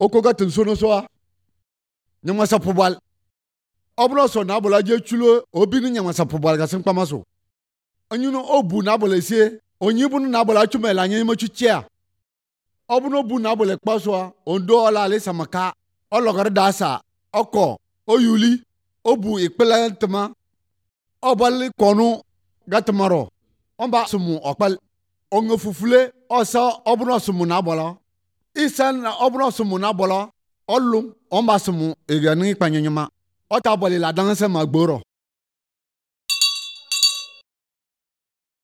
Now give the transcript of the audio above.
okoga tensono soa nyama sapobal obno so na bola je chulo obi ni nyama sapobal ga sin pamaso anyuno obu na bola sie onyi bu na bola chumela nyi ma chuchia obno bu na bola kpaso ondo ola le samaka ologar dasa oko oyuli obu ikpelantama obal konu gatmaro omba sumu okpal onga fufule osa obno sumu na bola isan obno sumu na bola olum omba sumu egani panyanyama ota boli la danse magboro